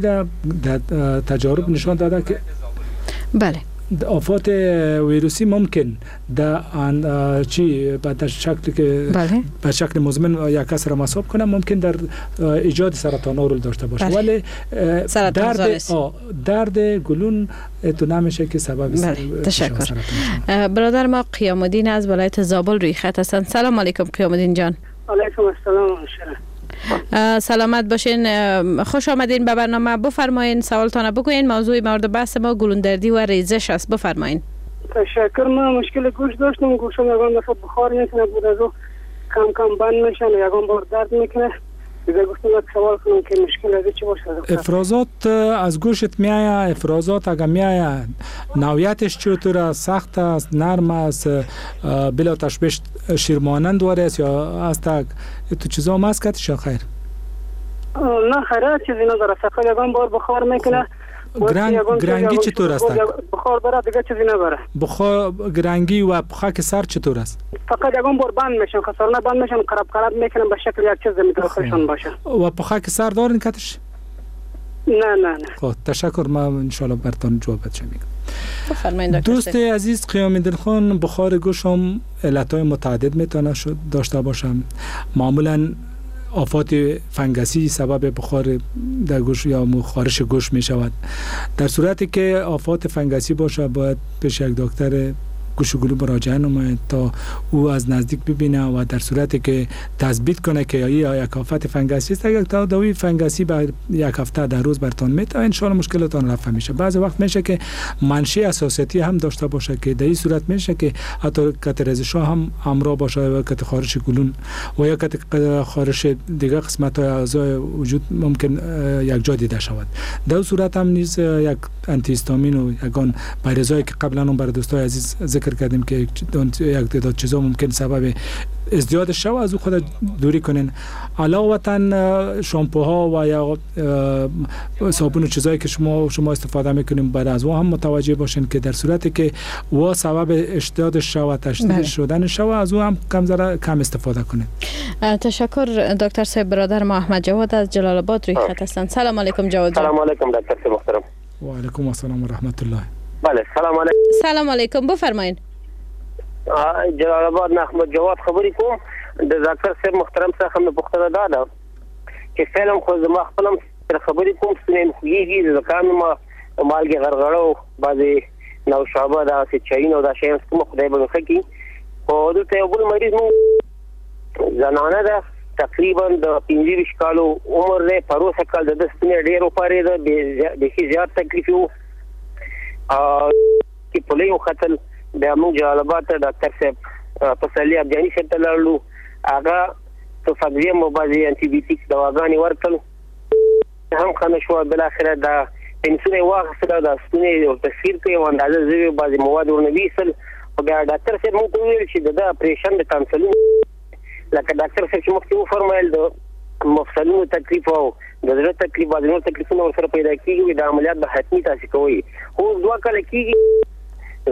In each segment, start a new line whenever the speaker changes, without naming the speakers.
در تجارب نشان داده که
بله،
آفات ویروسی ممکن در چی به شکل که
بله.
به شکل مزمن یک کس را مصاب کنه، ممکن در ایجاد سرطان رول داشته باشه.
بله.
ولی
سرطان
درد
زا نیست.
درد گلون تو نمیشه که سبب
بله. تشکر.
سرطان شود.
برادر ما قیام الدین از ولایت زابل روی خط هستند. سلام علیکم قیام الدین جان.
علیکم السلام شرح.
سلامت باشین. خوش آمدین به برنامه. بفرمایین سوالتان بگوین. موضوع مورد بحث ما گلوندردی و ریزش است. بفرمایین.
تشکر. من مشکل گوش داشتم، گوشم یگان دفعه بخار میکنه، بود از او کم کم بند میشن و یگان بار درد میکنه. دیگه گفتم یک سوال کنم که مشکل از چی باشه دکتر؟
افرازات از گوشت میآید؟ افرازات اگر میآید نوعیتش چطور است؟ سخت است، نرم است، بلا تشبیه شیرمانند واری است یا است؟ تو چیزا هم است کتش یا خیر؟
نه خیر، چیزی نداره، فقط یگان بار بخار میکنه.
گرنگی چطور است؟
بخار داره، دیگه چیزی نداره.
بخار گرنگی و پخک سر چطور است؟
فقط یگان بار بند میشن، خسارنه بند میشن، قرب قرب میکنن، به شکل یک چیز داخلشون باشه.
و پخک سر دارین کتش؟
نه نه نه.
خب تشکر، من انشالله براتون جواب بچه میگم.
بفرمایید دکتر.
دوست عزیز قیام الدین خان، بخار گوشم علتهای متعدد میتونه داشته باشم. معمولا آفات فنگسی سبب بخار در گوش یا خارش گوش می شود. در صورتی که آفات فنگسی باشه باید پیش یک دکتر گوش و گلو مراجعه نماید تا او از نزدیک ببینه و در صورتی که تثبیت کنه که یا یک آفت فنگسی است، اگر تا داروی فنگسی بر یک هفته در روز برتان میته ان شاء الله مشکلتان رفع میشه. بعضی وقت میشه که منشأ حساسیتی هم داشته باشه که در این صورت میشه که حتی کت ریزش هم همراه باشه و کت خارش گلون و یا کت خارش دیگه قسمت های اعضای وجود ممکن یک جا دیده شود. در صورت هم نیز یک انتی هیستامین و یگان بریزایی که قبلا هم برای دوستای عزیز ذکر کردیم که یک تعداد چیزا ممکن سبب ازدیاد شو، از او خود دوری کنین. علاوتا شامپوها و یا صابون و چیزایی که شما استفاده میکنیم بعد از او هم متوجه باشین که در صورتی که و سبب اشتیاد شو و تشدید
بله.
شدن شو، از او هم کم ذره کم استفاده کنین.
تشکر دکتر صاحب. برادر ما احمد جواد از جلال آباد روی خط هستند. سلام علیکم جواد جان.
سلام علیکم دکتر صاحب محترم.
و علیکم السلام و رحمت الله.
بله سلام علیکم.
سلام علیکم، بفرمایین.
جلال آباد نه احمد جواد خبرې کوم. د ډاکټر صاحب محترم څخه مې پوښتنه دا ده چې فعلا خو زما خپل هم سره خبرې کوم، ستونی مې خوږېږي، زکام ما مالګې غرغړه او بعضې نوشابه دغسې چایونه او دا شیان څکم، خدای به مې ښه کړي. خو دلته یو بل مریض مو زنانه ده، تقریبا د 25 کالو عمر دی، پروسه کال د ده ستونی ډېر وپارېده، بیخي زیات تکلیف یې و، کې پولۍ وختل. بیا موږ جلال آباد ته ډاکټر صاحب پسرلي ابجاني صاحب ته لاړلو، هغه تفاکزیم او بعضې انټي بیوټیک دواګانې ورکړل، هم ښه نه شوه. بالاخره دا پنسونه یې واخیستله، دا ستونی یې ورته سیر کړ، یو اندازه زوی بعضې مواد ورنه ویستل. خو بیا ډاکټر صاحب موږ ته وویل چې د ده اپرېشن د تانسلونو، لکه ډاکټر صاحب چې مخکې وفرمایل د مفصلونو تکلیف او د زړه تکلیف بعضې نور تکلیفونه ورسره پیدا کېږي، دا عملیات به حتمي تاسې کوئ. خو اوس 2 کاله کېږي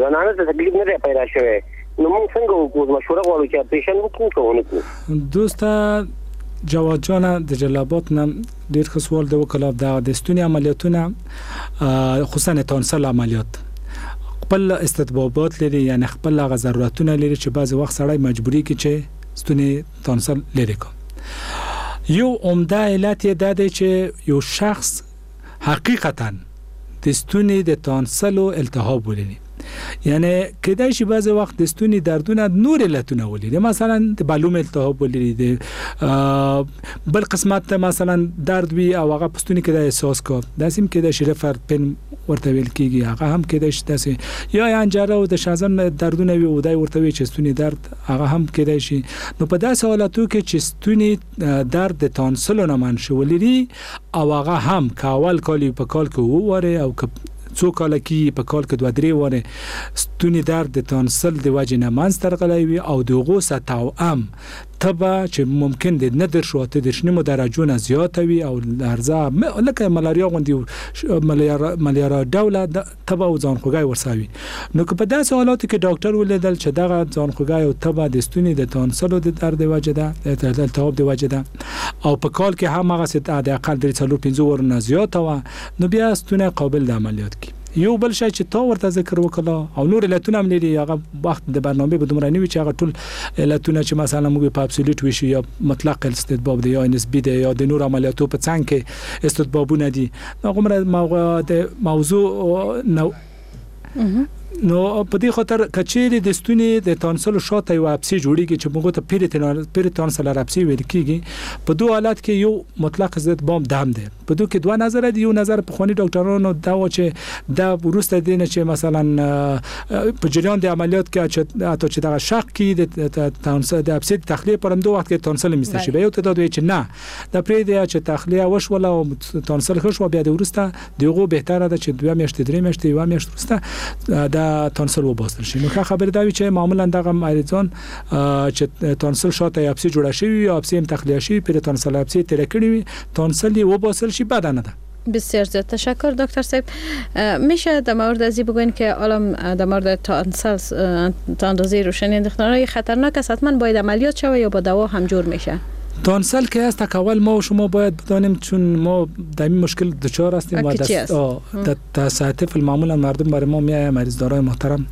زنانه ته تکلیف نه دی پیدا شوی، نو موږ څنګه وکړو؟ مشوره غواړو چې اپرېشن وکړو که ونه کړو.
دوسته جواد جانه د جلال آباد نه ډېر ښه سوال دی وکړ. دا د ستوني عملیاتونه خصوصا تانسل عملیات خپل استطبابات لري، یعنی خپل هغه ضرورتونه لري چې بعضې وخت سړی مجبوري کړي چې ستوني تانسل لرې کړي. یو عمده علت یې دا دی چې یو شخص حقیقتا د ستوني د تانسلو التهاب ولري، یعنی کیدای شي بعضی وخت د ستوني دردونه نور علتونه ولري، مثلا د بلوم التهاب ولري، د بل قسمت ته مثلا درد وي او هغه په ستوني کې د احساس کو، داسې هم کیدای شي رفر پن ورته ویل کیږي، هغه هم کیدای شي داسې، یا انجاره او د شازن دردونه وي او دای ورته وي چې ستوني درد، هغه هم کیدای شي. نو په داسې حالاتو کې چې ستوني درد د تانسلو نه منشأ ولري او هغه هم که اول کال په کال کې وواره او که څو کاله کې په کال کې 2-3 واره ستوني درد د تانسل د وجې نه منځ ته راغلی وي او د هغو سره توأم تبه چې ممکن د 39.5 درجو نه زیاته وي او لرزه لکه ملاریا غوندې ملاریا ډوله تبه او ځانخوږی ورسره وي. نو که په داسې حالاتو کې ډاکټر ولیدل چې دغه ځانخوږی او تبه د ستوني د تانسلو د درد د وجې ده، د التهاب د وجې ده، او په کال کې هم هغسې د اقل 3 4 5 ورو نه زیاته وه، نو بیا ستونی قابل د عملیات کی. یو بل شی چې تا ورته ذکر وکړه او نور علتونه هم لري، هغه وخت د برنامې به دومره نه وي چې هغه ټول علتونه چې مثلا موږ په absolute ویشو یا مطلق استطباب دی یا نسبي دی یا د نور عملیاتو په څنګ کې استطبابونه دي، هغومره د موضوع نو نو په دې خاطر کچېرې د ستوني د تانسلو شاته یو ابسې جوړیږي چې موږ ته peritonsillar ابسې ویل کیږي، په دوه حالت کې یو مطلق استطباب دم دی. په دوه کې دوه نظر دي. یو نظر پخواني ډاکټرانو دا و چې دا وروسته دې نه چې مثلا په جریان د عملیات کې چې حتی چې دغه شق کې د تانسل د ابسې د تخلیې پر همدو وخت کې تانسل میسته شي، بیا یو تعداد وایي چې نه دا پرېږدي چې تخلیه وشوله او تانسل ښه شوه، بیا د وروسته د هغو بهتره ده چې 2 میاشتې 3 میاشتې 1 میاشت وروسته د تانسل وباستل شي. نو ښه خبره دا وي چې معمولا دغه مریضان چې تانسل شاته یې ابسې جوړه شوي وي، ابسې هم تخلیه شوي، peritonsillar ابسې تېره کړې وي، تانسل یې وباسل شي، بده نه ده.
بسیار زیاد تشکر دکتر صاحب. میشه در مورد ازی بگوین که حالا در مورد تانسل تا اندازه روشنی انداختن خطرناک است، حتما باید عملیات شود یا با دوا هم جور میشه؟
تانسل که است اول ما و شما باید بدانیم، چون ما در این مشکل دچار هستیم و در ساعت معمولا مردم برای ما میآید مریض دارای محترم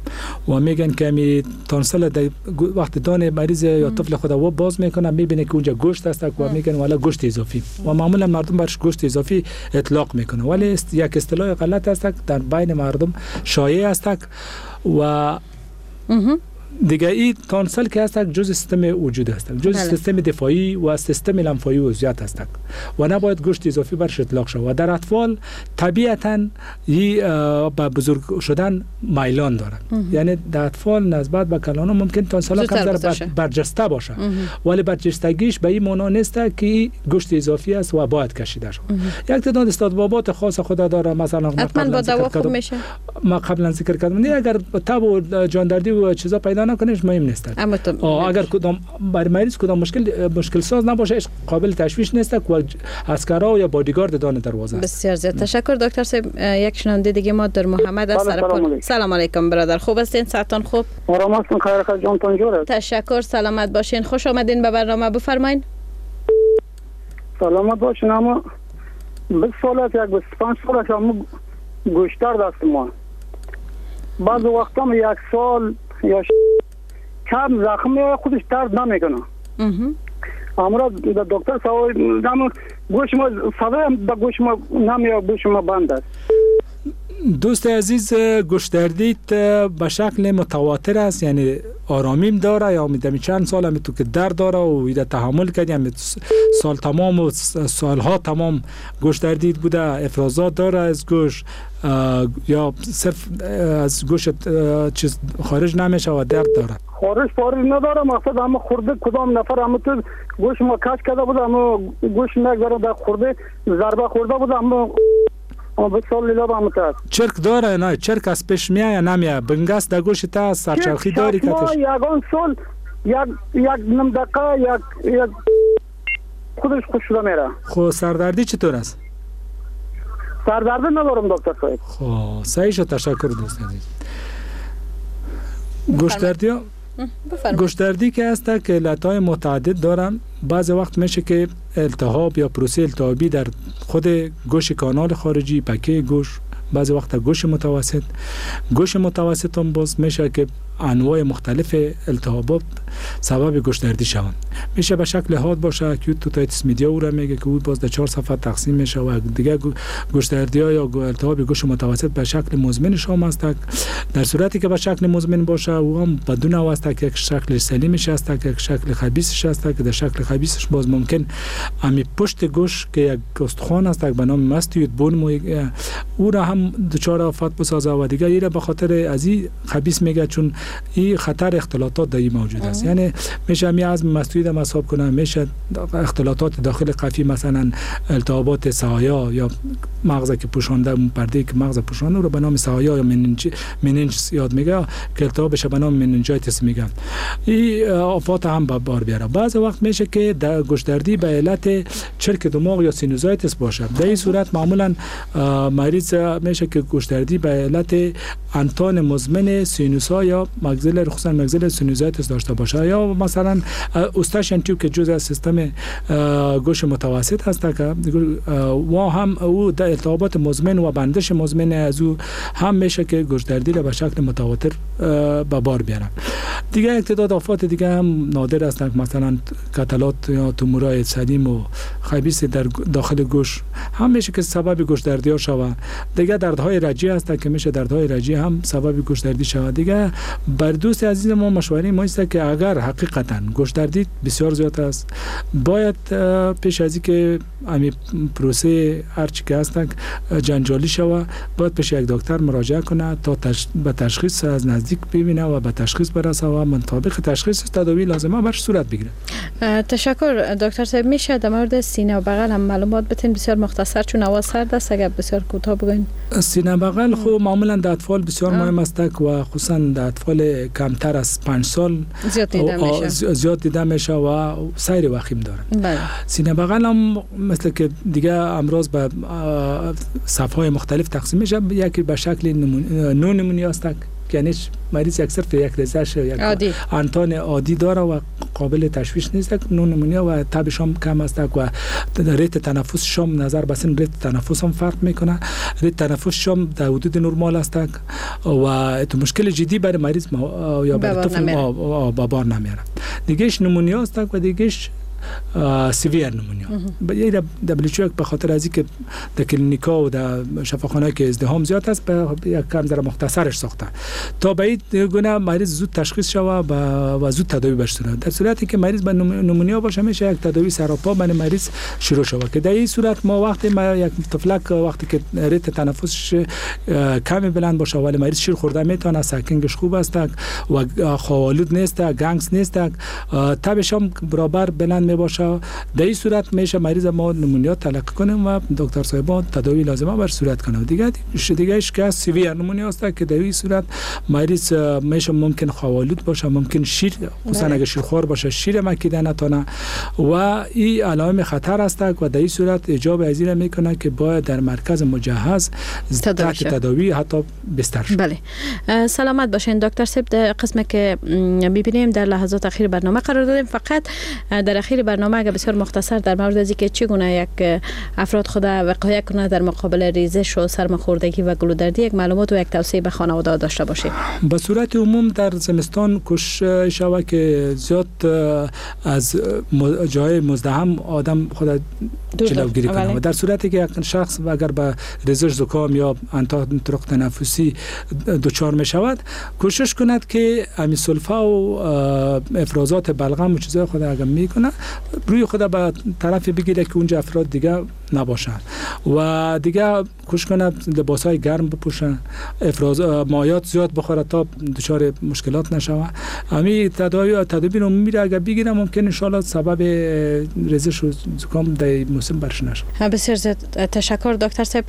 و میگن که می تانسل در وقت دان مریض یا طفل خود و باز میکنه، میبینه که اونجا گوشت است و میگن والا گوشت اضافی، و معمولا مردم برش گوشت اضافی اطلاق میکنه، ولی یک اصطلاح غلط است در بین مردم شایع است. و دیگه این تانسل که هست جز سیستم وجود هست، جز سیستم دفاعی و سیستم لنفایی و زیاد هست و نباید گوشت اضافی برش اطلاق شود. و در اطفال طبیعتا به بزرگ شدن میلان دارن، یعنی در اطفال نسبت به کلان‌ها ممکن تانسل کمتر برجسته باشه، ولی برجستگیش به این معنا نیست که گوشت اضافی است و باید کشیده شود. یک تعداد استطبابات خاص خود داره، مثلا ما قبلا ذکر کردم، نه اگر تب و جاندردی و چیزا پیدا نکنش مهم نیست. اگر کدام برای مریض کدام مشکل ساز نباشه، قابل تشویش نیست و عسکرها یا بادیگارد دان دروازه است.
بسیار زیاد تشکر دکتر صاحب. یک شنونده دیگه ما در محمد از سرپل. سلام علیکم برادر، خوب هستین؟ صحتان خوب؟
آرام هستم، خیر خیر، جانتان جور است.
تشکر، سلامت باشین. خوش آمدین به برنامه، بفرمایین.
سلامت باشین. اما 20 سال است، 25 سال است گوشتر دست ما. بعض وقتا یک سال یا کم زخم خودش درد نمیکنه. امرا دکتر صاحب گوش ما صدای گوش ما نمیاد، گوش ما بند است.
دوست عزیز، گوش دردیت به شکل متواتر است، یعنی آرامیم داره یا میدمی چند سال هم تو که درد داره و ایده تحمل کردی، هم سال تمام و سالها تمام گوش دردید بوده، افرازات داره از گوش یا صرف از گوش چیز خارج نمیشه و درد داره؟
خارج نداره، مقصد همه خورده کدام نفر همه تو گوش ما کش کرده بود، همه گوش نگذاره در خورده ضربه خورده بود، همه
چرک داره نه؟ چرک از پیش میایه یا نمیایه؟ بنگس در گوش تا سرچرخی داری کتش؟
یگان سال یک نیم دقیقه یک خودش خوش شده میره.
خب سردردی چطور است؟
سردردی ندارم دکتر صاحب.
خب صحیح شد، تشکر دوست عزیز. گوشدردی که هست که علت‌های متعدد دارن. بعض وقت میشه که التهاب یا پروسه التهابی در خود گوش کانال خارجی، پکه گوش، بعض وقت گوش متوسط، گوش متوسط هم باز میشه که انواع مختلف التهابات سبب گوش دردی شوند. میشه به شکل حاد باشه، acute otitis media او را میگه که او باز در 4 صفحه تقسیم میشه و دیگه گوش دردی ها یا التهاب گوش متوسط به شکل مزمن شام است. در صورتی که به شکل مزمن باشه او هم به دو نوع است، یک شکل سلیمش است، یک شکل خبیثش است که در شکل خبیثش باز ممکن امی پشت گوش که یک استخوان است به نام mastoid bone، او را هم دچار آفات بسازه و دیگه ایره به خاطر از این خبیث میگه چون این خطر اختلاطات در این موجود است. یعنی میشه می عظم مستوید هم حساب کنه، میشه اختلاطات داخل قفی، مثلا التهابات سهایا یا مغز که پوشانده، اون پرده که مغز پوشانده رو به نام سهایا یا meninges یاد میگه که التهابش به نام meningitis میگن. این آفات هم به بار بیاره. بعض وقت میشه که در گوشدردی به علت چرک دماغ یا sinusitis باشه. در این صورت معمولا مریض میشه که گوشدردی به علت انتان مزمن سینوسا یا maxillary، خصوصا maxillary sinusitis داشته باشه، یا مثلا Eustachian tube که جزء از سیستم گوش متوسط هست که و هم او در التهابات مزمن و بندش مزمن از او هم میشه که گوشدردی را به شکل متواتر به بار بیاره. دیگه یک تعداد آفات دیگه هم نادر هستند، مثلا کتلات یا تومورای سلیم و خبیث در داخل گوش هم میشه که سبب گوشدردی ها شود. دیگه دردهای رجی هست که میشه دردهای رجی هم سبب گوشدردی شود. دیگه بر دوست عزیز ما مشوره ما است که اگر حقیقتا گوشدردی بسیار زیاد است، باید پیش از اینکه امی پروسه هرچی که هست جنجالی شود، باید پیش یک دکتر مراجعه کنه تا به تشخیص از نزدیک ببینه و به تشخیص برسه و مطابق تشخیص تداوی لازمه برش صورت بگیره.
تشکر دکتر صاحب. میشه در مورد سینه و بغل هم معلومات بتین؟ بسیار مختصر چون هوا سرد است، اگر بسیار کوتاه بگین.
سینه بغل خب معمولا در اطفال بسیار مهم است و خصوصا در اطفال کمتر از 5 سال زیاد دیده میشه و سیر وخیم داره. بله. سینه بغل هم مثل که دیگه امراض به صف‌های مختلف تقسیم میشه، یکی به شکل نو نمونیا است، یعنی مریض یک صرف یک ریزش یک عادی. انتان عادی داره و قابل تشویش نیست، نو نمونیا و تبش هم کم است و ریت تنفس شام نظر به سن ریت تنفس هم فرق میکنه، ریت تنفس شام در حدود نرمال است و تو مشکل جدی برای مریض یا برای طفل با بار نمیاره. دیگهش نمونیا است و دیگهش severe pneumonia. یه WHO به خاطر از اینکه در کلینیکا و در شفاخانه که ازدحام زیاد است به یک کم در مختصرش ساخته تا به این گونه مریض زود تشخیص شود و زود تداوی بشه. در صورتی که مریض به نمونیا باشه میشه یک تداوی سراپا برای مریض شروع شود که در این صورت ما وقتی ما یک طفلک وقتی که rate تنفسش کمی بلند باشه ولی مریض شیر خورده میتونه، sucking ش خوب است و خواب‌آلود نیست، گنگس نیست، تبش هم برابر بلند می باشه، در این صورت میشه مریض ما نمونیا تلقی کنیم و دکتر صاحبان تداوی لازمه بر صورت کنه. دیگهش که severe pneumonia است که در این صورت مریض میشه ممکن خواب‌آلود باشه، ممکن شیر، خصوصا اگه شیرخوار باشه شیر مکیده نتونه و این علائم خطر است و در این صورت ایجاب از این میکنه که باید در مرکز مجهز تحت تداوی حتی بستر شد.
بله، سلامت باشین دکتر صاحب. در قسمی که میبینیم در لحظات اخیر برنامه قرار دادیم، فقط در اخیر برنامه اگر بسیار مختصر در مورد از اینکه چگونه یک افراد خود وقایه کنه در مقابل ریزش و سرماخوردگی و گلودردی یک معلومات و یک توصیه به خانواده داشته باشید.
به صورت عموم در زمستان کوشش شود که زیاد از جای مزدحم آدم خود جلوگیری کنه و در صورتی که یک شخص اگر به ریزش زکام یا انتان طرق تنفسی دچار می شود کوشش کند که امی سلفا و افرازات بلغم و چیزای خود اگر میکنه روی خود به طرف بگیره که اونجا افراد دیگه نباشن و دیگه کوشش کنه لباسای گرم بپوشن، افراز مایات زیاد بخوره تا دچار مشکلات نشوه. امی تدابیر عمومی را اگر بگیره ممکن ان شاء الله سبب ریزش و زکام در موسم برش نشه.
بسیار زیاد تشکر دکتر صاحب.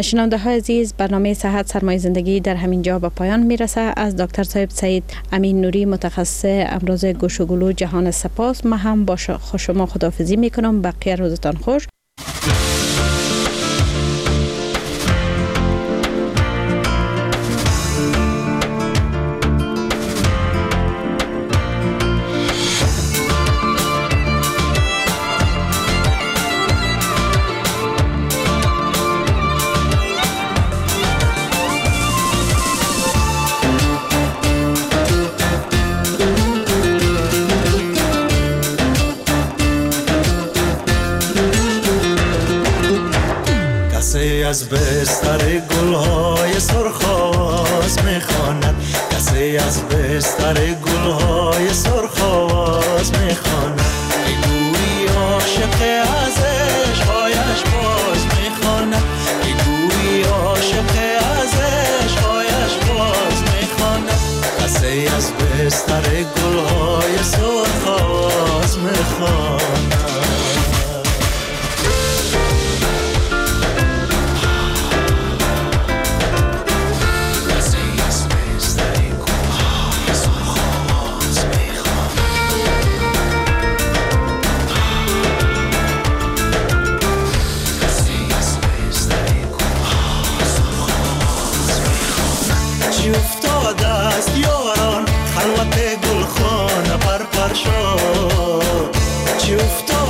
شنونده های عزیز، برنامه صحت سرمایه زندگی در همین جا به پایان میرسه. از دکتر صاحب سید امین نوری متخصص امراض گوش و گلو جهان سپاس. ما هم با شما خداحافظی میکنم. بقیه روزتان خوش.
از بستر گلهای سرخ آواز میخواند، کسی از بستر گلهای سرخ آواز میخواند، گویی عاشق از عشقهایش باز میخواند، گویی عاشق بستر گلهای سرخ آواز میخواند. یاران خلوت گلخانه پر پر شد، چی افتاد